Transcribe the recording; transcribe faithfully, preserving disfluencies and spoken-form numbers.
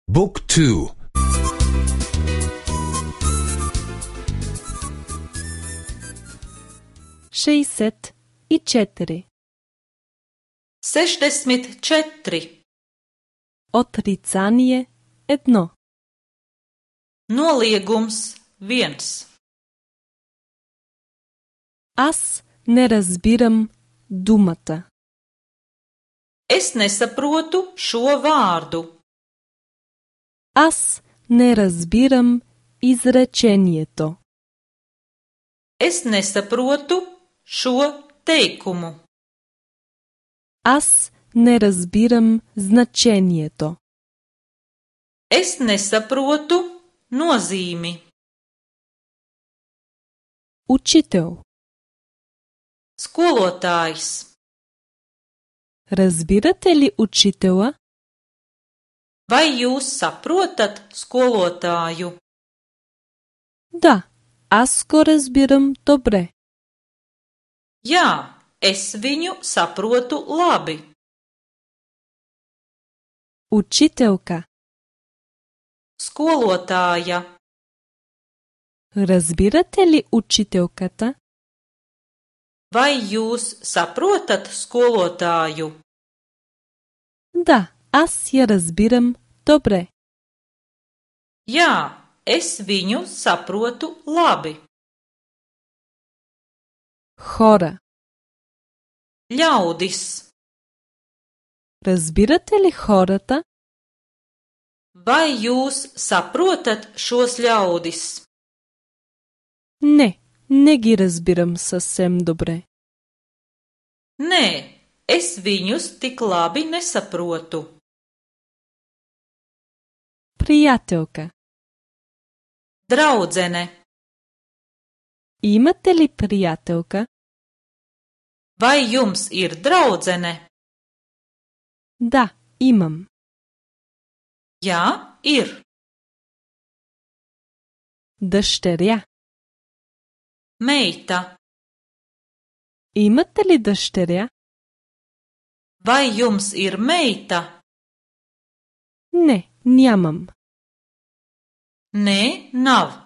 Book two. šezdeset četiri. Sešdeset četiri. Otricanje jedno. Noliegums viens. Аз не разбирам думата. Es nesaprotu šo vārdu. Аз не разбирам изречението. Es nesaprotu šo teikumu. Аз не разбирам значението. Es nesaprotu nozīmi. Учител. Skolotājs. Разбирате ли учителя? Vai jūs saprotat skolotāju? Да, аз го разбирам добре. Jā, es viņu saprotu labi. Учителка. Skolotāja. Разбирате ли учителката? Vai jūs saprotat skolotāju? Да, аз я разбирам добре. Jā, es viņu saprotu labi. Хора. Ļaudis. Разбирате ли хората? Vai jūs saprotat šos ļaudis? Не, не ги разбирам съвсем добре. Nē, es viņus tik labi nesaprotu. Приятелка. Draudzene. Имате ли приятелка? Vai jums ir draudzene? Да, имам. Jā, ir. Дъщеря. Meita. Имате ли дъщеря? Vai jums ir meita? Не, нямам. Nē, nav.